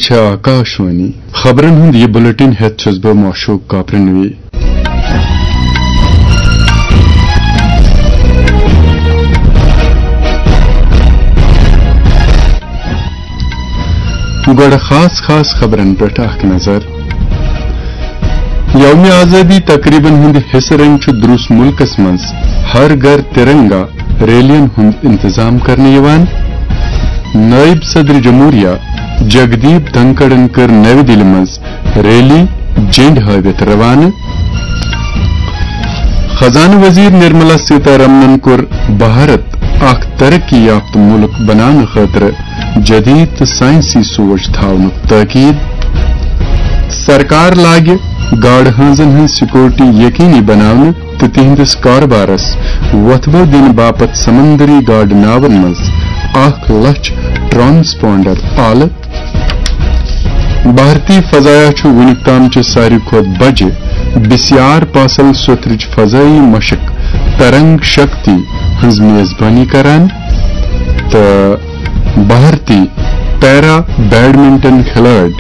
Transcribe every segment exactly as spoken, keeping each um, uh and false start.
چھےٚ آکاشوانی۔ خبرن ہُنٛد یہِ بلیٹن ہٮ۪تھ چھُس بہٕ معشوق کاپرنوی۔ گۄڈٕ خاص خاص خبرن پٮ۪ٹھ اکھ نظر۔ یوم آزادی تقریبن ہُنٛد حصہٕ رنگ چھُ درُس مُلکس منٛز ہر گھر ترنگا ریلین ہُنٛد انتظام کرنہٕ یِوان۔ نٲیِب صدر جمہوریہ جگدیپ دھنکڑن کٔر نَوِ دِلہِ منٛز ریلی جنڈ ہٲوِتھ روانہٕ۔ خزانہٕ وزیر نرملا سیتارمنن کوٚر بھارت اکھ ترقی یافتہٕ مُلک بناونہٕ خٲطرٕ جدید تہٕ سائنسی سوچ تھاونُک تاکید۔ سرکار لاگہِ گاڈٕ ہٲنزن ہٕنٛز سیکورٹی یقینی بناونہٕ تہٕ تِہنٛدِس کارٕبارس وۄتھبو دِنہٕ باپتھ سمندری گاڈٕ ناون منٛز اکھ لچھ ٹرانسپونڈر آلہٕ۔ بھارتی فضایا چھُ وُنیُک تام چہِ ساروی کھۄتہٕ بجہِ بسیار پاسل سوٚتھرٕچ فضائی مشق ترنگ شکتی ہٕنٛز میزبانی کران تہٕ بھارتی پیرا بیڈمنٹن کھلٲڑۍ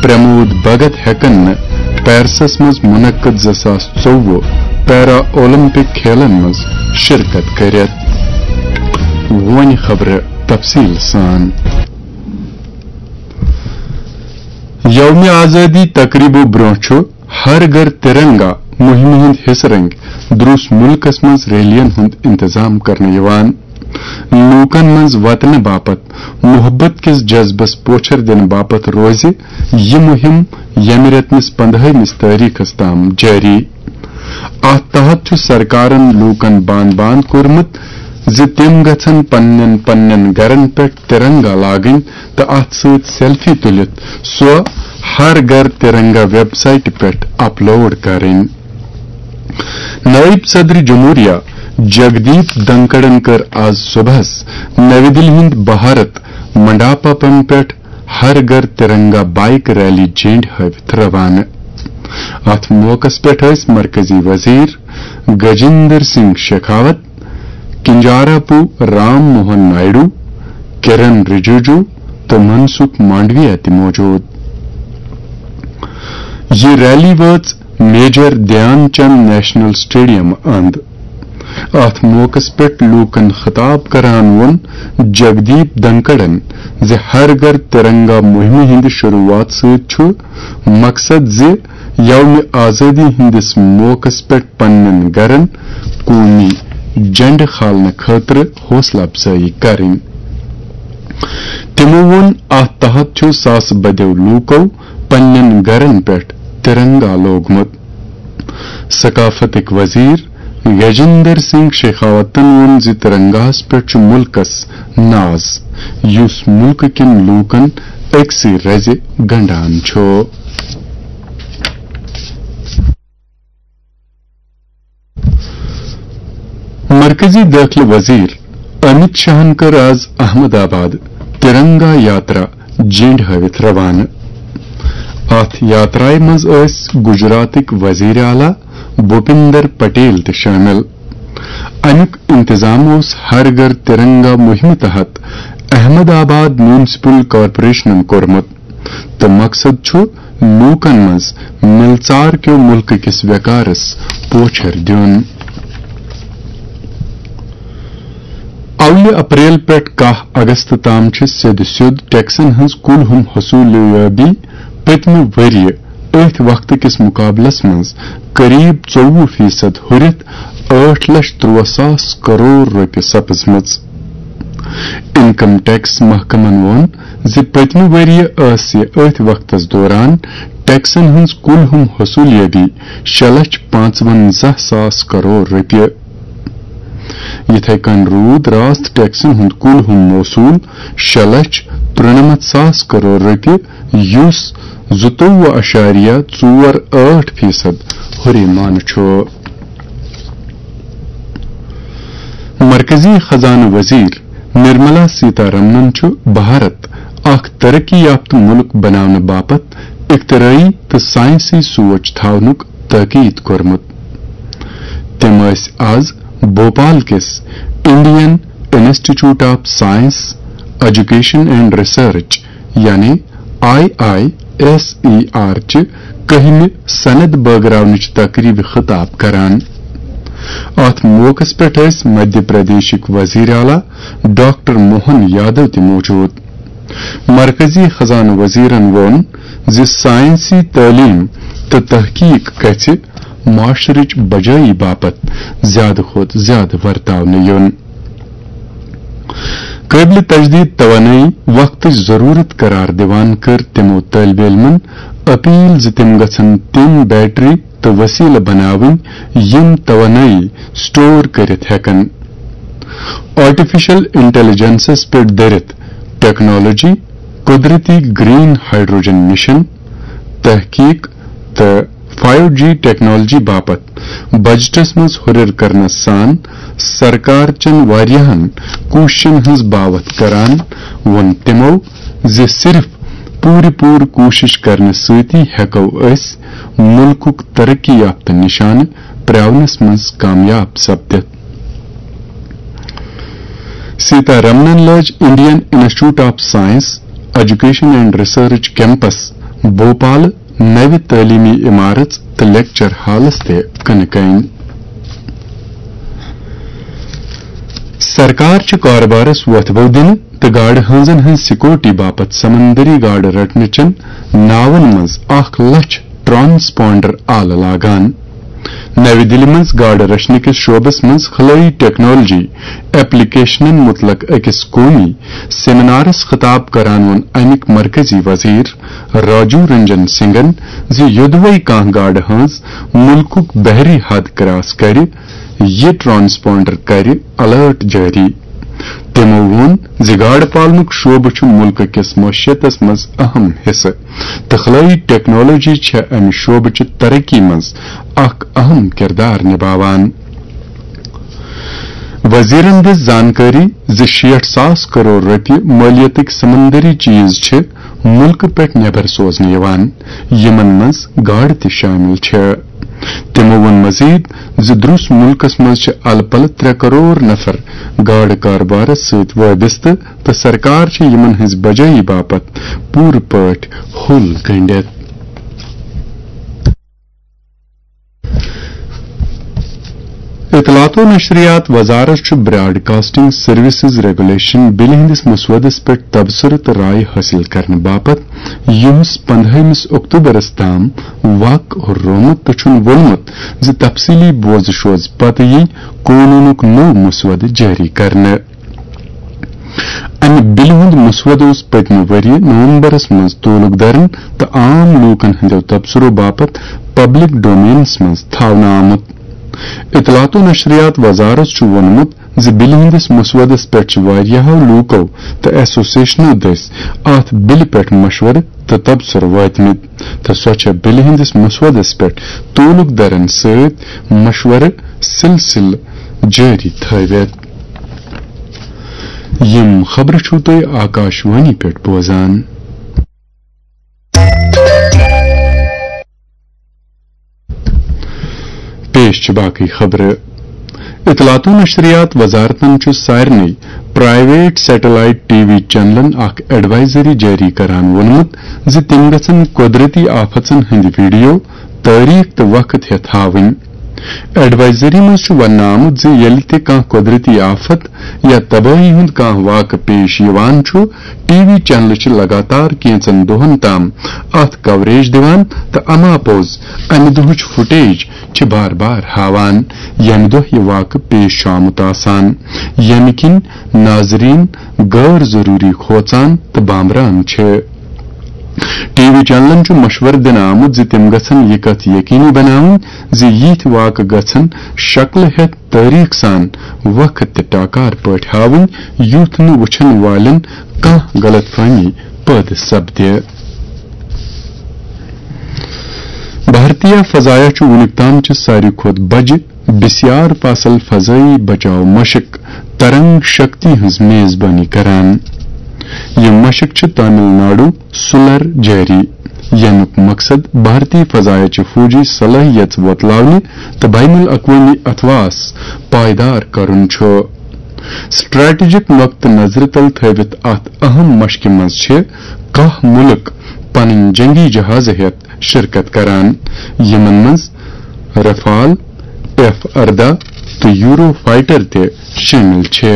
پرمود بھگت ہٮ۪کن نہٕ پیرسس منٛز منعقد زٕ ساس ژوٚوُہ پیرا اولمپک کھیلن منٛز شرکت کٔرِتھ۔ وۄنۍ خبرٕ تفصیل سان۔ یوم آزادی تقریبو برونٛہہ چھُ ہر گھر ترنگا مہمہِ ہُنٛد حصہٕ رنگۍ درُس مُلکس منٛز ریلین ہُنٛد انتظام کرنہٕ یِوان۔ لوٗکن منٛز وطنہٕ باپتھ محبت کِس جذبس پوچھر دِنہٕ باپتھ روزِ یہِ مُہِم ییٚمہِ رٮ۪تہٕ مِس پندہٲیمِس تٲریخس تام جٲری۔ اتھ تحت چھُ سرکارن لوٗکن بان بان کوٚرمُت زِ تِم گژھن پننٮ۪ن پننٮ۪ن گرن پٮ۪ٹھ ترنگا لاگٕنۍ تہٕ اتھ سۭتۍ سیلفی تُلِتھ سۄ ہر گھر ترنگا ویب سائٹہِ پٮ۪ٹھ اپلوڈ کرٕنۍ۔ نائب صدر جمہوریہ جگدیپ دھنکڑن کٔر آز صبحس نَوِ دِلہِ ہُنٛد بھارت منڈاپم پٮ۪ٹھ ہر گھر ترنگا بائیک ریلی جنڈ ہٲوِتھ روانہٕ۔ اتھ موقعس پٮ۪ٹھ ٲسۍ مرکزی وزیر گجیندر سنگھ شیخاوت، کنجاراپو رام موہن نائیڈو، کرن رجیجو تہٕ منسکھ مانڈویا تہِ موجود۔ یہِ ریلی وٲژ میجر دھیان چند نیشنل سٹیڈیم اند۔ اتھ موقعس پٮ۪ٹھ لوٗکن خطاب کران ووٚن جگدیپ دھنکڑن زِ ہر گھر ترنگا مہمہِ ہٕنٛدِ شروعات سۭتۍ چھُ مقصد زِ یوم آزادی ہٕنٛدِس موقعس پٮ۪ٹھ پننٮ۪ن گرن قومی جنڈٕ کھالنہٕ خٲطرٕ حوصلہٕ افزٲیی کرٕنۍ۔ تِمو ووٚن، اتھ تحت چھُ ساسہٕ بدیو لوٗکو پننٮ۪ن گرن پٮ۪ٹھ ترنگا لوگمُت۔ ثقافتٕکۍ وزیر گجیندر سنگھ شیخاوتن ووٚن زِ ترنگاہس پٮ۪ٹھ چھُ مُلکس ناز، یُس مُلکہٕ کٮ۪ن لوٗکن أکسٕے رزِ گنڈان چھُ۔ مرکزی دٲخلہٕ وزیر امت شاہن کٔر آز احمد آباد ترنگا یاترا جنڈ ہٲوِتھ روانہٕ۔ اتھ یاترایہِ منٛز ٲسۍ گجراتٕکۍ وزیر اعلیٰ بھوپیندر پٹیل تہِ شٲمِل۔ امیُک انتظام اوس ہر گھر ترنگا مہمہِ تحت احمد آباد میونسپل کارپوریشنن کوٚرمُت۔ تہٕ مقصد چھُ لوٗکن منٛز مِلژار کیو مُلکہٕ کِس ویقارس پوچھر دیُن۔ اولہِ اپریل پٮ۪ٹھ کاہ اگست تام چھِ سیٚدِ سیوٚد ٹیکسن ہٕنٛز کُل ہُم حصوٗلیابی پٔتمہِ ؤرۍ یہِ أتھۍ وقتہٕ کِس مُقابلس منٛز قریب ژوٚوُہ فیصد ہُرِتھ ٲٹھ لچھ ترٛواہ ساس کرور رۄپیہِ سپٕزمٕژ۔ انکم ٹیکس محکمن ووٚن زِ پٔتمہِ ؤرۍ یہِ ٲس یہِ أتھۍ وقتس دوران ٹیکسن ہٕنٛز کُل ہُم حصوٗلیابی شےٚ لچھ پانٛژونزہ ساس کرور رۄپیہِ۔ یِتھے کٔنۍ روٗد راست ٹیکسن ہُنٛد کُل ہُم موصوٗل شےٚ لچھ ترُنمتھ ساس کرور رۄپیہِ، یُس زٕتووُہ اَشاریہ ژور ٲٹھ فیصد ہُریمانہٕ چھُ۔ مرکزی خزانہٕ وزیر نرملا سیتارمنن چھُ بھارت اکھ ترقی یافتہٕ مُلک بناونہٕ باپتھ اختراعی تہٕ سائنسی سوچ تھاونُک تاکید کوٚرمُت۔ تٔمۍ ٲسۍ آز بھوپال کِس Indian institute of science, education and research یعنی I I S E R چہِ کٔہمہِ سند بٲگراونٕچ تقریبہِ خطاب کران۔ اتھ موقعس پٮ۪ٹھ ٲسۍ مدھیہ پردیشٕکۍ وزیر اعلیٰ ڈاکٹر موہن یادو تہِ موجود۔ مرکزی خزانہٕ وزیرن ووٚن زِ ساینسی تعلیٖم تہٕ تحقیق گژھِ معاشرٕچ بجٲیی باپتھ زیادٕ کھۄتہٕ زیادٕ ورتاونہٕ یُن۔ قٲبلِ تجدید توانٲیی وقتٕچ ضروٗرت قرار دِوان کٔر تِمو طٲلبہِ علمن اپیل زِ تِم گژھن تِم بیٹری تہٕ وسیلہٕ بناوٕنۍ یِم توانٲیی سٹور کٔرِتھ ہٮ۪کن۔ آرٹیفیشل انٹیلیجنسس پٮ۪ٹھ دٔرِتھ ٹیکنالوجی، قدرتی گرین ہائیڈروجن مشن، تحقیق تہٕ فائیو جی ٹیکنالوجی باپتھ بجٹس منٛز ہُرٮ۪ر کرنس سان سرکار چٮ۪ن واریاہن کوٗششن ہٕنٛز باوتھ کران ووٚن تِمو زِ صرف پوٗرٕ پوٗرٕ کوٗشش کرنہٕ سۭتی ہٮ۪کو أسۍ مُلکُک ترقی یافتہٕ نشانہٕ پرٛاونس منٛز کامیاب سپدِتھ۔ سیتا رمنن لٲج Indian institute of science, education and research campus Bhopal نوِ تعلیمی عمارژ تہٕ لیکچر ہالس تہِ کٕنہٕ کٔنۍ۔ سرکار چھِ کاربارس وۄتھٕ بو دِنہٕ تہٕ گاڈٕ ہٲنزن ہٕنٛز سیکورٹی باپتھ سمندری گاڈٕ رٹنہٕ چٮ۪ن ناون منٛز اکھ لچھ ٹرانسپونڈر آلہٕ لاگان۔ نَوِ دِلہِ منٛز گاڈٕ رچھنہٕ کِس شعبس منٛز خلٲیی ٹیکنالوجی ایپلیکیشنن مُتعلق أکِس قومی سیمینارس خطاب کران ووٚن اَمِکۍ مرکزی وزیر راجو رنجن سنگھن زِ یوٚدوے کانٛہہ گاڈٕ ہٲنز مُلکُک بحری حد کراس کرِ، یہِ ٹرانسپونڈر کرِ الرٹ جٲری۔ تِمو ووٚن زِ گاڈٕ پالنُک شعبہٕ چھُ مُلکہٕ کِس معیشتس منٛز اہم حصہٕ تہٕ خلٲیی ٹیکنالوجی چھےٚ امہِ شعبہٕ چہِ ترقی منٛز اکھ اہم کردار نباوان۔ وزیرن دِژ زانکٲری زِ شیٹھ ساس کرور رۄپیہِ مٲلیتٕکۍ سمندری چیز چھِ مُلکہٕ پٮ۪ٹھ نٮ۪بر سوزنہٕ یِوان، یِمن منٛز گاڈٕ تہِ شٲمِل چھِ۔ تِمو ووٚن مزید زِ درُس مُلکس منٛز چھِ الہٕ پلہٕ ترٛےٚ کرور نفر گاڈٕ کاربارس سۭتۍ وابستہٕ تہٕ سرکار چھِ یِمن ہٕنٛزِ بجٲیی باپتھ پوٗرٕ پٲٹھۍ حل گٔنٛڈِتھ۔ اطلاعات و نشریات وزارت چھُ براڈ کاسٹنگ سروسز ریگولیشن بلہِ ہٕنٛدِس مسودس پٮ۪ٹھ تبصرٕ تہٕ رائے حٲصِل کرنہٕ باپتھ یُہس پندہٲیمِس اکتوبرس تام وق رومُت تہٕ چھُن ووٚنمُت زِ تفصیلی بوزٕ شوز پتہٕ یی قونوٗنُک نوٚو مسودٕ جٲری کرنہٕ۔ امہِ بلہِ ہُنٛد مسودٕ اوس پٔتمہِ ؤرۍ یہِ نومبرس منٛز تعلق دارن تہٕ عام لوٗکن ہٕنٛدیو تبصرو باپتھ پبلک ڈومینس منٛز تھاونہٕ آمُت۔ اطلاعات و نشریات وزارت چھُ ووٚنمُت زِ بلہِ ہٕنٛدِس مسودس پٮ۪ٹھ چھِ واریاہو لوٗکو تہٕ ایسوسیشنو دٔسۍ اتھ بلہِ پٮ۪ٹھ مشورٕ تہٕ تبصرٕ وٲتمٕتۍ تہٕ سۄ چھےٚ بلہِ ہٕنٛدِس مسودس پٮ۪ٹھ تعلق دارن سۭتۍ مشورٕ سلسلہٕ جٲری تھٲوِتھ۔ یِم خبرٕ چھِو تُہۍ آکاشوانی پٮ۪ٹھ بوزان۔ پیش چھِ باقٕے خبرٕ۔ اطلاعات و نشریات وزارتن چھُ سارنٕے پرائیویٹ سیٹلائٹ ٹی وی چینلن اکھ ایڈوائزری جٲری کران ووٚنمُت زِ تِم گژھن قدرتی آفتن ہٕنٛدۍ ویڈیو تٲریخ تہٕ وقت ہٮ۪تھ ہاوٕنۍ۔ ایڈوائزری منٛز چھُ وننہٕ آمُت زِ ییٚلہِ تہِ کانٛہہ قدرتی آفت یا تبٲہی ہُنٛد کانٛہہ واقعہٕ پیش یِوان چھُ، ٹی وی چینلہٕ چھِ لگاتار کینٛژن دۄہن تام اتھ کوریج دِوان تہٕ اما پوٚز امہِ دۄہٕچ فوٹیج چھِ بار بار ہاوان، ییٚمہِ دۄہ یہِ واقعہٕ پیش چھُ آمُت آسان، ییٚمہِ کِنۍ ناظرین غٲر ضروری کھوژان تہٕ بامبران چھِ۔ ٹی وی چینلن چھُ مشورٕ دِنہٕ آمُت زِ تِم گژھن یہِ کتھ یقینی بناوٕنۍ زِ یِتھۍ واقعہٕ گژھن شکلہٕ ہٮ۪تھ تٲریخ سان وقت تہٕ ٹاکار پٲٹھۍ ہاوٕنۍ، یُتھ نہٕ وٕچھن والٮ۪ن کانٛہہ غلط فہمی پٲدٕ سپدِ۔ بھارتیہ فضایہ چھُ وُنیُک تام چہِ ساروی کھۄتہٕ بجہِ بسیار فاصل فضائی بچاو مشق ترنگ شکتی ہٕنٛز میزبانی کران۔ یہِ مشق چھِ تامل ناڈو سُلر جٲری، ییٚمیُک مقصد بھارتی فضایہ چہِ فوجی صلٲحیژ وۄتلاونہٕ تہٕ بین الاقوٲمی اتھواس پائیدار کرُن چھُ۔ سٹریٹجک نقطہٕ نظرِ تل تھٲوِتھ اتھ اہم مشقہِ منٛز چھِ کاہ مُلک پنٕنۍ جنگی جہاز ہٮ۪تھ شرکت کران، یِمن منٛز رفال، ایف ارداہ تہٕ یورو فائٹر تہِ شٲمِل چھِ۔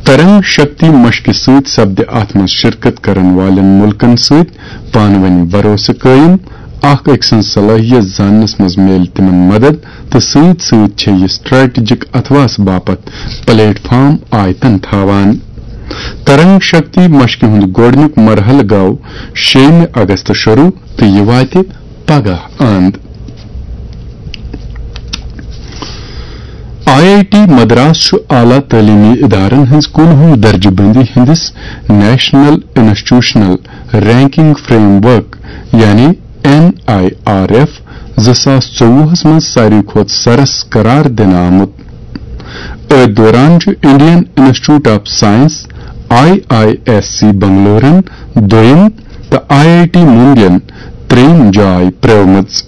ترنگ شکتی مشقہِ سۭتۍ سپدِ اتھ منٛز شرکت کرن والٮ۪ن مُلکن سۭتۍ پانہٕ ؤنۍ بھروسہٕ قٲیِم، اکھ أکۍ سٕنٛز صلٲحیت زاننس منٛز میلہِ تِمن مدد، تہٕ سۭتۍ سۭتۍ چھےٚ یہِ سٹریٹجک اتھواس باپتھ پلیٹ فارم آیتن تھاوان۔ ترنگ شکتی مشقہِ ہُنٛد گۄڈٕنیُک مرحلہٕ گوٚو شیٚیِمہِ اگست شروع تہٕ یہِ واتہِ پگاہ اند۔ آئی آئی ٹی مدراس چھُ اعلیٰ تعلیمی ادارن ہٕنٛز کُنوُہ درجہٕ بندی ہٕنٛدِس national institutional ranking frame work, یعنی این آئی آر ایف، زٕ ساس ژوٚوُہس منٛز ساروی کھۄتہٕ سرس قرار دِنہٕ آمُت۔ أتھۍ دوران چھُ Indian institute of science, I I S C بنگلورن دوٚیِم تہٕ آئی آئی ٹی ممبین ترٛیٚیِم جاے پرٛٲومٕژ۔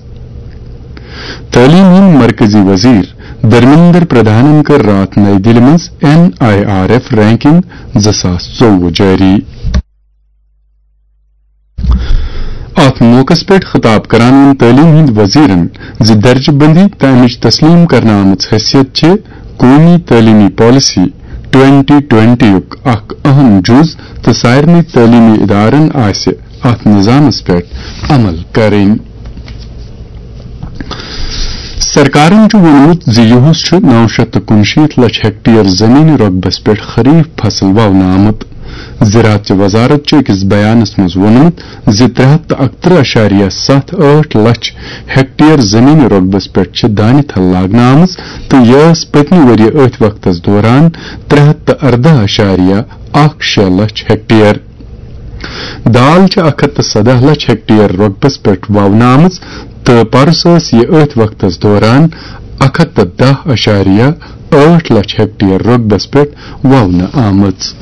تعلیٖم ہٕنٛدۍ مرکزی وزیر دھرمیندر پردھانن کٔر راتھ نئی دِلہِ منٛز N I R F ranking زٕ ساس ژوٚوُہ جٲری۔ اتھ موقعس پٮ۪ٹھ خطاب کران ووٚن تعلیٖم ہٕنٛدۍ وزیرن زِ درجہٕ بندی تہٕ امِچ تسلیٖم کرنہٕ آمٕژ حیثیت چھِ قومی تعلیٖمی پالیسی ٹوئنٹی ٹوئنٹی یُک اکھ اہم جُز تہٕ سارنٕے تعلیٖمی ادارن آسہِ اتھ نظامس پٮ۪ٹھ عمل کرٕنۍ۔ سرکارن چھُ ووٚنمُت زِ یُہُس چھُ نو شیٚتھ تہٕ کُنشیٖتھ لچھ ہیکٹیر زمین رۄقبس پٮ۪ٹھ خریف فصل وونہٕ آمُت۔ زراعت چہِ وزارت چھُ أکِس بیانس منٛز ووٚنمُت زِ ترٛےٚ ہتھ تہٕ اکترٕہ اَشاریہ ستھ ٲٹھ لچھ ہیکٹیر زمین رۄقبس پٮ۪ٹھ چھِ دانہِ تھل لاگنہٕ آمٕژ تہٕ یہِ ٲس پٔتمہِ ؤرۍ یہِ أتھۍ وقتس دوران ترٛےٚ ہتھ تہٕ ارداہ اَشاریہ اکھ شےٚ لچھ ہیکٹیر۔ دال چھِ اکھ ہتھ تہٕ سداہ لچھ ہیکٹیر رۄقبس پٮ۪ٹھ وونہٕ آمٕژ تہٕ پرُس ٲس یہِ أتھۍ وقتس دوران اکھ ہتھ تہٕ دَہ اَشاریہ ٲٹھ لچھ ہیکٹیر رۄقبس پٮ۪ٹھ وونہٕ آمٕژ۔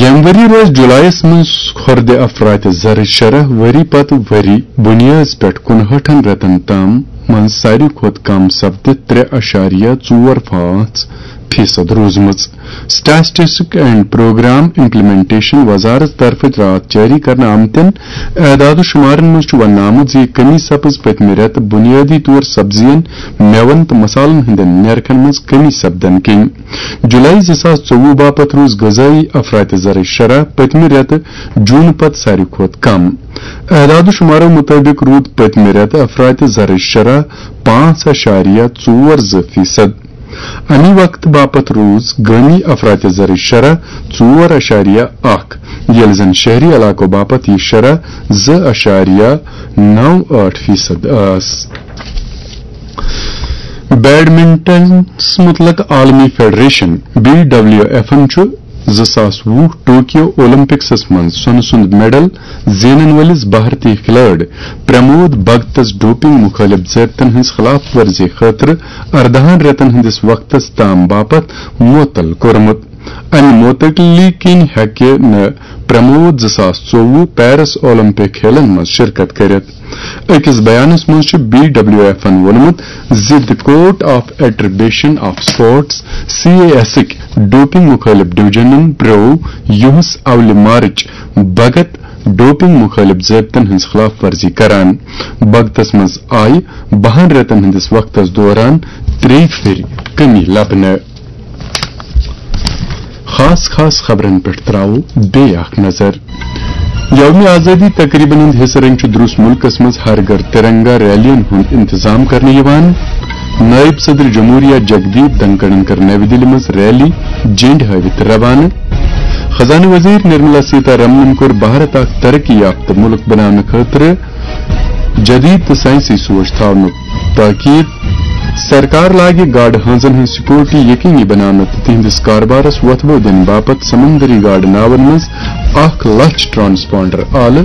ییٚمہِ ؤری روزِ جولایس منٛز کھۄردِ افراط زرٕچ شرح ؤری پتہٕ ؤری بُنیٲدس پٮ۪ٹھ کُنہٲٹھن رٮ۪تن تام منٛز ساروی کھۄتہٕ کم سپدِتھ ترٛےٚ اَشاریہ ژور پانٛژھ فیصد روٗزمٕژ۔ اسٹیٹسٹکس اینڈ پروگرام امپلیمنٹیشن وزارت طرفہٕ راتھ جٲری کرنہٕ آمتٮ۪ن اعداد و شمارن منٛز چھُ وننہٕ آمُت زِ یہِ کمی سپٕز پٔتمہِ رٮ۪تہٕ بُنیٲدی طور سبزین، مٮ۪وَن تہٕ مصالن ہٕنٛدٮ۪ن نیرخن منٛز کمی سپدن کِنۍ۔ جولائی زٕ ساس ژوٚوُہ باپتھ روٗز غذٲیی افراط زرٕچ شرح پٔتمہِ رٮ۪تہٕ جوٗن پتہٕ ساروی کھۄتہٕ کم۔ اعداد و شمارو مُطٲبِق روٗد پٔتمہِ رٮ۪تہٕ افراط زرٕچ شرح پانٛژھ اَشاریہ ژور زٕ فیصد۔ اَمی وقتہٕ باپتھ روٗز گٲمی افراط زرٕچ شرح ژور اَشاریہ اکھ، ییٚلہِ زن شہری علاقو باپتھ یہِ شرح زٕ اَشاریہ نو ٲٹھ فیصد ٲس۔ بیڈمنٹنس متعلق عالمی فیڈریشن، بی ڈبلیو ایف، چھُ زٕ ساس وُہ ٹوکیو اولمپکسس منٛز سۄنہٕ سُنٛد میڈل زینن وٲلِس بھارتی کھلٲڑۍ پرمود بھگتس ڈوپنگ مُخٲلِف ضٲبطن ہٕنٛز خلاف ورزی خٲطرٕ ارداہن رٮ۪تن ہٕنٛدِس وقتس تام باپتھ معطل کوٚرمُت۔ امہِ معطلی کِنۍ ہیٚکہِ نہٕ پرمود زٕ ساس ژوٚوُہ پیرس اولمپک کھیلن منٛز شرکت کٔرِتھ۔ أکِس بیانس منٛز چھُ بی ڈبلیو ایفن ووٚنمُت زِ The Court of Arbitration of Sports، C A ایسٕکۍ ڈوپنگ مُخٲلِف ڈویژنن پرٛٲو یُہُس اولہِ مارچ بھگت ڈوپنگ مُخٲلِف ضٲبطن ہٕنٛز خلاف ورزی کران۔ بھگتس منٛز آیہِ بَہَن رٮ۪تن ہٕنٛدِس وقتس دوران ترٛیٚیہِ پھِرِ کٔمی لبنہٕ۔ خاص خاص خبرن پٮ۪ٹھ تراوو بیٚیہِ اکھ نظر۔ یوم آزادی تقریبن ہُنٛد حصہٕ رنگ چھُ درُس مُلکس منٛز ہر گھر ترنگا ریلین ہُنٛد انتظام کرنہٕ یِوان۔ نائب صدر جمہوریہ جگدیپ دھنکڑن کٔر نَوِ دِلہِ منٛز ریلی جنڈ ہٲوِتھ روانہٕ۔ خزانہٕ وزیر نرملا سیتارمنن کوٚر بھارت اکھ ترقی یافتہٕ مُلک بناونہٕ خٲطرٕ جدید تہٕ سائنسی سوچ تھاونُک تاکید۔ سرکار لاگہِ گاڈٕ ہٲنزن ہٕنٛز سیکورٹی یقینی بناونہٕ تہٕ تِہنٛدِس کاربارس وۄتھبو دِنہٕ باپتھ سمندری گاڈٕ ناون منٛز اکھ لچھ ٹرانسپونڈر آلہٕ۔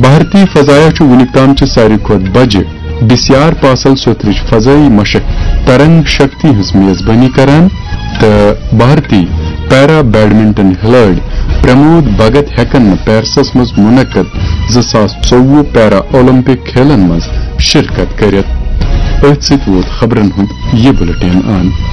بھارتی فضایہ چھُ وُنیُک تام چہِ ساروی کھۄتہٕ بجہِ بسیار پاسل سوتھرٕچ فضٲیی مشق ترنگ شکتی ہٕنٛز میزبٲنی کران تہٕ بھارتی پیرا بیڈمنٹن کھلٲڑۍ پرمود بھگت ہٮ۪کن نہٕ پیرسس منٛز منعقد زٕ ساس ژوٚوُہ پیرا اولمپک کھیلن منٛز شرکت کٔرِتھ۔ أتھۍ سۭتۍ ووت خبرن ہُنٛد یہِ بُلٹن انت۔